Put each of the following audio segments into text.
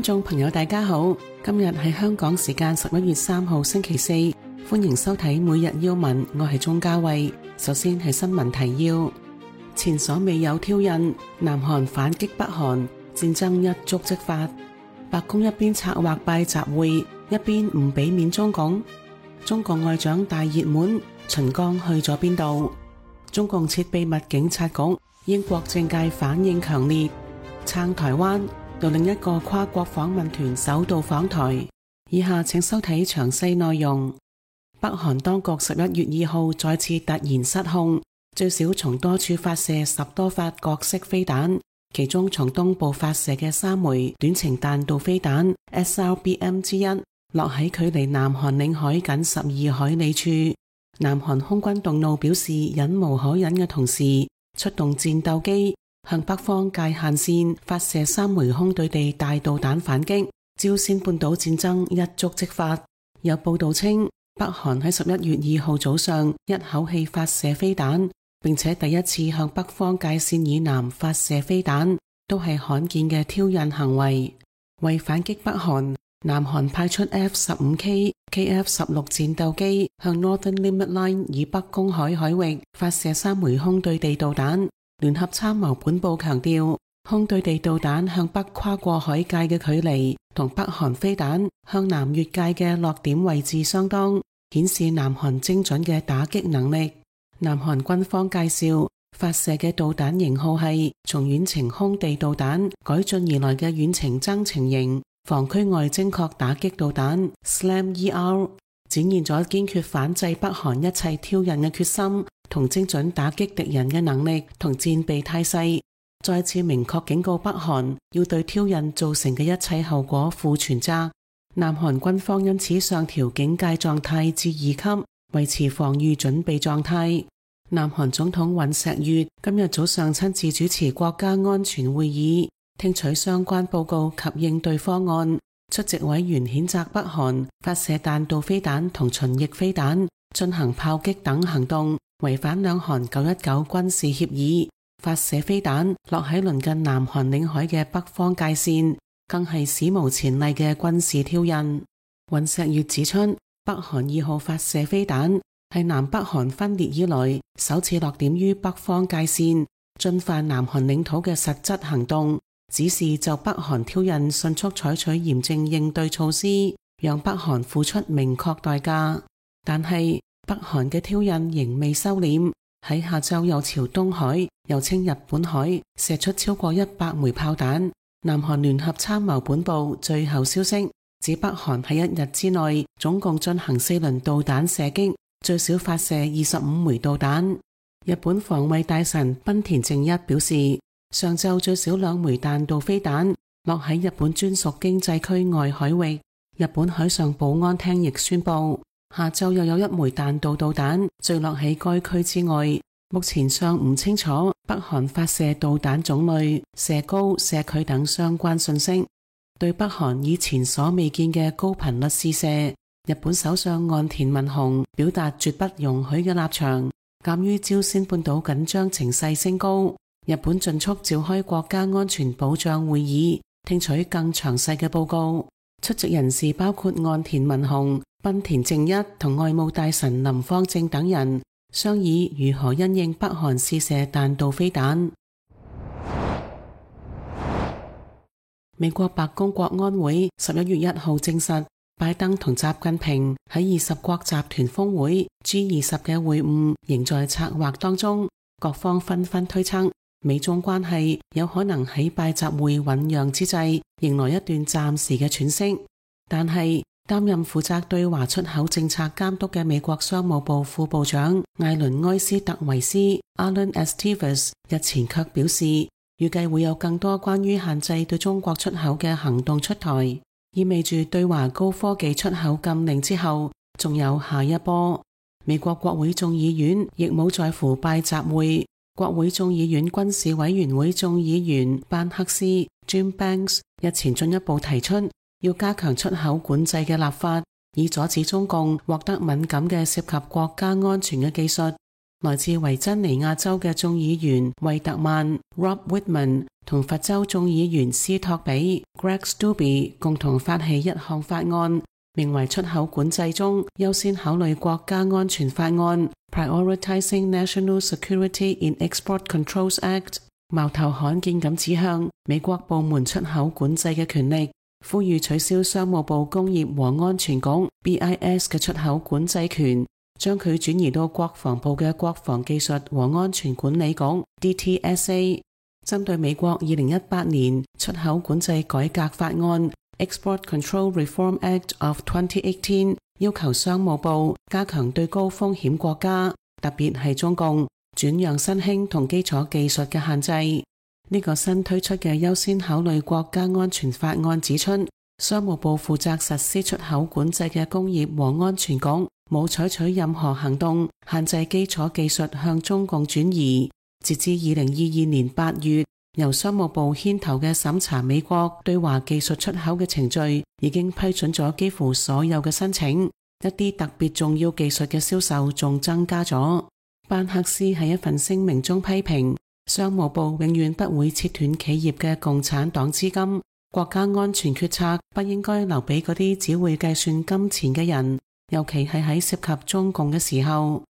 觀眾朋友大家好，今日係香港時間11月3號星期四，歡迎收睇每日要聞，我係鍾嘉慧。首先係新聞提要：前所未有挑釁，南韓反擊北韓，戰爭一觸即發。白宮一邊策劃拜習會，一邊唔俾面中共。中國外長大熱門，秦剛去咗邊度？中共設秘密警察局，英國政界反應強烈。撐台灣，由另一個跨國訪問團首度訪台。以下請收睇詳細內容。北韓當局11月2號再次突然失控，最少從多處發射10多發各式飛彈，其中從東部發射嘅3枚短程彈道飛彈 SRBM 之一，落喺距離南韓領海僅12海里處。南韓空軍動怒表示忍無可忍嘅同時，出動戰鬥機向北方界限線發射3枚空對地大導彈反擊，朝鮮半島戰爭一觸即發。有報道稱，北韓喺11月2號早上一口氣發射飛彈，並且第一次向北方界線以南發射飛彈，都係罕見嘅挑釁行為。為反擊北韓，南韓派出 F-15K、KF-16 戰鬥機向 Northern Limit Line 以北公海海域發射3枚空對地導彈。聯合參謀本部強調，空對地導彈向北跨過海界嘅距離同北韓飛彈向南越界嘅落點位置相當，顯示南韓精準嘅打擊能力。南韓軍方介紹，發射嘅導彈型號係從遠程空地導彈改進而來嘅遠程增程型防區外精確打擊導彈 SLAM-ER， 展現咗堅決反制北韓一切挑釁嘅決心同精準打擊敵人嘅能力同戰備態勢，再次明確警告北韓要對挑釁造成嘅一切後果負全責。南韓軍方因此上調警戒狀態至2級，維持防禦準備狀態。南韓總統尹錫悅今日早上親自主持國家安全會議，聽取相關報告及應對方案。出席委員譴責北韓發射彈道飛彈同巡弋飛彈，進行炮擊等行動，違反兩韓919軍事協議，發射飛彈落喺鄰近南韓領海嘅北方界線，更係史無前例嘅軍事挑釁。尹錫悅指出，北韓2號發射飛彈係南北韓分裂以來首次落點於北方界線，進犯南韓領土嘅實質行動，指示就北韓挑釁迅速採取嚴正應對措施，讓北韓付出明確代價。但係北韓嘅挑釁仍未收斂，喺下晝又朝東海，又稱日本海，射出超過100枚炮彈。南韓聯合參謀本部最後消息指，北韓喺1日之內總共進行4輪導彈射擊，最少發射25枚導彈。日本防衛大臣濱田正一表示，上晝最少2枚彈道飛彈落喺日本專屬經濟區外海域。日本海上保安廳亦宣布，下晝又有1枚彈道導彈墜落喺該區之外。目前尚唔清楚北韓發射導彈種類、射高、射距等相關信息。對北韓以前所未見嘅高頻率試射，日本首相岸田文雄表達絕不容許嘅立場。鑒於朝鮮半島緊張情勢升高，日本盡速召開國家安全保障會議，聽取更詳細嘅報告。出席人士包括岸田文雄、濱田正一同外務大臣林芳正等人，商議如何因應北韓試射彈道飛彈。美國白宮國安會11月1號證實，拜登同習近平喺20國集團峰會 G20 嘅會晤仍在策劃當中，各方紛紛推測美中關係有可能喺拜習會醞釀之際迎來一段暫時嘅喘息。但係擔任負責對華出口政策監督嘅美國商務部副部長艾倫埃斯特維斯 Alan Estevez 日前卻表示，預計會有更多關於限制對中國出口嘅行動出台，意味住對華高科技出口禁令之後仲有下一波。美國國會眾議院亦冇在乎拜習會。國會眾議院軍事委員會眾議員班克斯 Jim Banks 日前進一步提出要加強出口管制嘅立法，以阻止中共獲得敏感嘅涉及國家安全嘅技術。來自維珍尼亞州嘅眾議員惠特曼 Rob Wittman 同佛州眾議員斯托比 Greg Steube 共同發起一項法案，名為出口管制中優先考慮國家安全法案 Prioritizing National Security in Export Controls Act， 矛頭罕見咁指向美國部門出口管制嘅權力，呼籲取消商務部工業和安全局 BIS 嘅出口管制權，將佢轉移到國防部嘅國防技術和安全管理局 DTSA。 針對美國2018年出口管制改革法案 Export Control Reform Act of 2018， 要求商務部加強對高風險國家，特別係中共轉讓新興同基礎技術嘅限制。呢個新推出嘅優先考慮國家安全法案指出，商務部負責實施出口管制嘅工業和安全局冇採取任何行動限制基礎技術向中共轉移。截至2022年8月，由商務部牽頭嘅審查美國對華技術出口嘅程序已經批准咗幾乎所有嘅申請，一啲特別重要技術嘅銷售仲增加咗。班克斯喺一份聲明中批評，商務部永遠不會切斷企業嘅共產黨資金，國家安全決策不應該留俾嗰啲只會計算金錢嘅人，尤其係喺涉及中共嘅時候。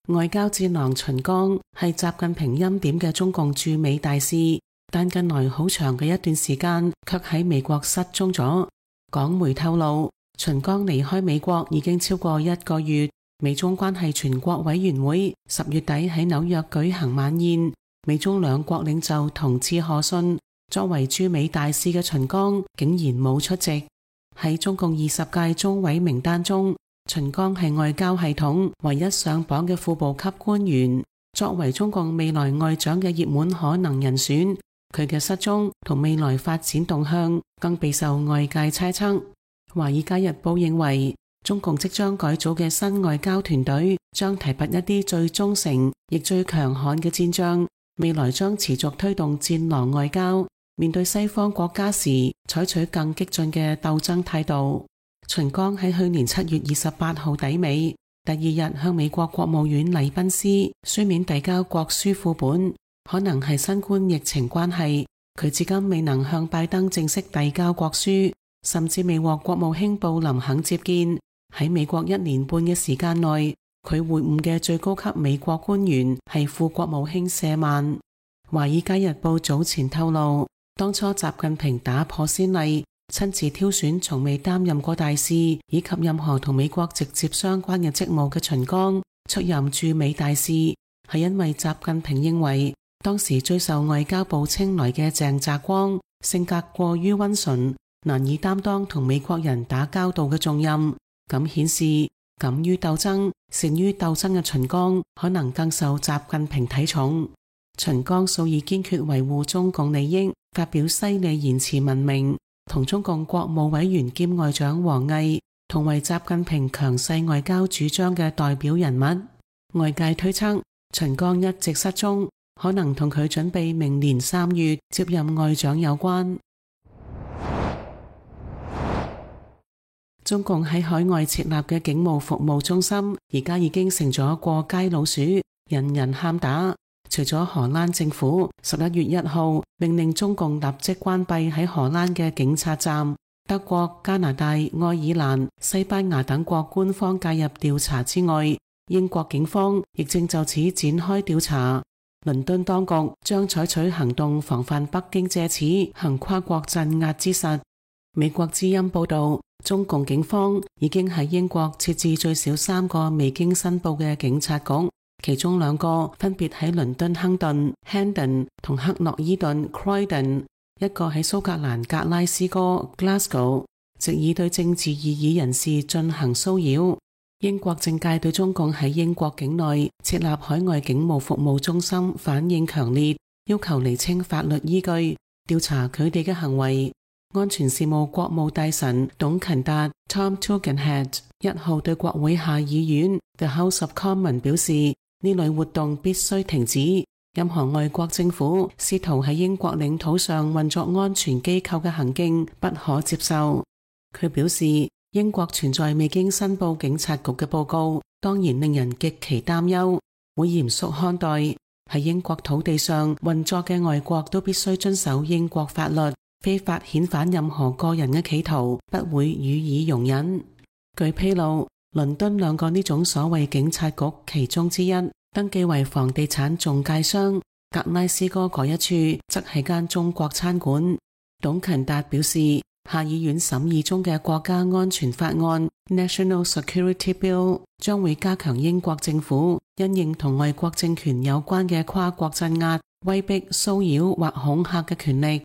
外交戰狼秦剛係習近平欽點嘅中共駐美大使，但近來好長嘅一段時間卻喺美國失蹤咗。港媒透露，秦剛離開美國已經超過1個月。美中關係全國委員會10月底喺紐約舉行晚宴，美中兩國領袖同致賀信，作為駐美大使嘅秦剛竟然冇出席。喺中共20屆中委名單中，秦剛係外交系統唯一上榜嘅副部級官員，作為中共未來外長嘅熱門可能人選，佢嘅失蹤同未來發展動向更備受外界猜測。華爾街日報認為，中共即將改組嘅新外交團隊將提拔一啲最忠誠亦最強悍嘅戰將，未來將持續推動戰狼外交，面對西方國家時採取更激進嘅鬥爭態度。秦剛喺去年7月28號抵美，第二日向美國國務院禮賓司書面遞交國書副本。可能係新冠疫情關係，佢至今未能向拜登正式遞交國書，甚至未獲國務卿布林肯接見。喺美國1年半嘅時間內，佢會晤嘅最高級美國官員係副國務卿舍曼。華爾街日報早前透露，當初習近平打破先例，親自挑選從未擔任過大使以及任何同美國直接相關嘅職務嘅秦剛出任駐美大使，係因為習近平認為當時最受外交部青睞嘅鄭澤光性格過於溫順，難以擔當同美國人打交道嘅重任，咁顯示敢於鬥爭、善於鬥爭嘅秦剛可能更受習近平睇重。秦剛素以堅決維護中共利益，發表犀利言辭聞名，同中共國務委員兼外長王毅同為習近平強勢外交主張嘅代表人物。外界推測，秦剛一直失蹤，可能同佢準備明年3月接任外長有關。中共喺海外設立嘅警務服務中心，而家已經成咗過街老鼠，人人喊打。除咗荷蘭政府11月1號命令中共立即關閉喺荷蘭嘅警察站，德國、加拿大、愛爾蘭、西班牙等國官方介入調查之外，英國警方亦正就此展開調查。倫敦當局將採取行動防範北京借此行跨國鎮壓之實。美國之音報道，中共警方已經喺英國設置最少3個未經申報嘅警察局，其中2個分別喺倫敦亨頓 Hendon 同克諾伊頓 Croydon， 一個喺蘇格蘭格拉斯哥 Glasgow， 藉以對政治異議人士進行騷擾。英國政界對中共喺英國境內設立海外警務服務中心反應強烈，要求釐清法律依據，調查佢哋嘅行為。安全事務國務大臣董勤達 Tom Tugendhat 1號對國會下議院 The House of Commons 表示，呢類活動必須停止，任何外國政府試圖喺英國領土上運作安全機構嘅行徑不可接受。佢表示，英國存在未經申報警察局嘅報告，當然令人極其擔憂，會嚴肅看待。喺英國土地上運作嘅外國都必須遵守英國法律，非法遣返任何個人嘅企圖不會予以容忍。據披露，倫敦2個呢種所謂警察局其中之一，登記為房地產中介商，格拉斯哥嗰一處則係間中國餐館。董勤達表示，下議院審議中嘅國家安全法案 National Security Bill 將會加強英國政府因應同外國政權有關嘅跨國鎮壓、威逼、騷擾或恐嚇嘅權力。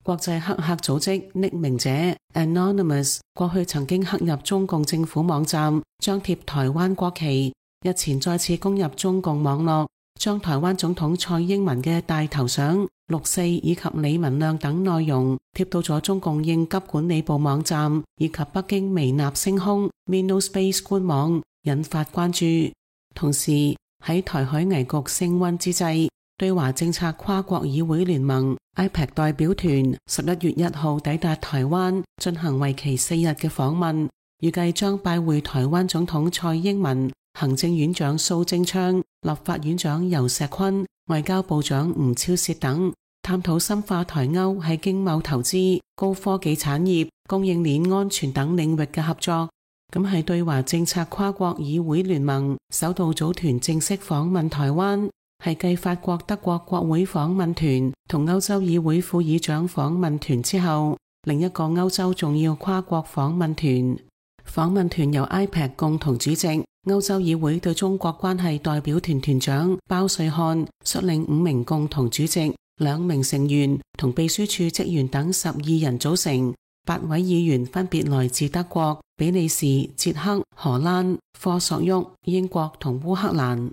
國際黑客組織匿名者 Anonymous 過去曾經黑入中共政府網站，張貼台灣國旗，日前再次攻入中共網絡，將台灣總統蔡英文嘅大頭相、6·4以及李文亮等內容貼到咗中共應急管理部網站以及北京微納星空 MinoSpace 官網，引發關注。同時喺台海危局升溫之際，對華政策跨國議會聯盟 IPAC 代表團11月1號抵達台灣，進行為期4日嘅訪問，預計將拜會台灣總統蔡英文、行政院長蘇貞昌、立法院長游錫堃、外交部長吳釗燮等，探討深化台歐喺經貿投資、高科技產業、供應鏈安全等領域嘅合作。咁係對華政策跨國議會聯盟首度組團正式訪問台灣，係繼法國、德國國會訪問團同歐洲議會副議長訪問團之後，另一個歐洲重要跨國訪問團。訪問團由 IPAC 共同主席、歐洲議會對中國關係代表團團長包瑞漢率領5名共同主席、2名成員同秘書處職員等12人組成。8位議員分別來自德國、比利時、捷克、荷蘭、科索沃、英國同烏克蘭。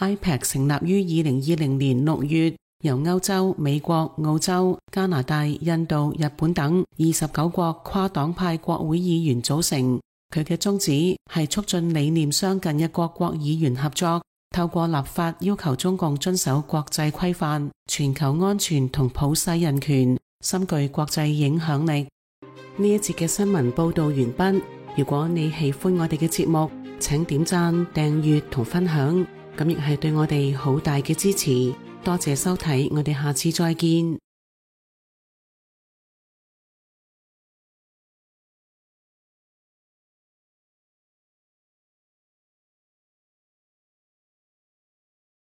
IPAC 成立於2020年6月，由歐洲、美國、澳洲、加拿大、印度、日本等29國跨黨派國會議員組成。佢嘅宗旨係促進理念相近嘅各國議員合作，透過立法要求中共遵守國際規範、全球安全同普世人權，深具國際影響力。呢一節嘅新聞報道完畢。如果你喜歡我哋嘅節目，請點讚、訂閱同分享，咁亦係對我哋好大嘅支持。多謝收睇，我哋下次再見。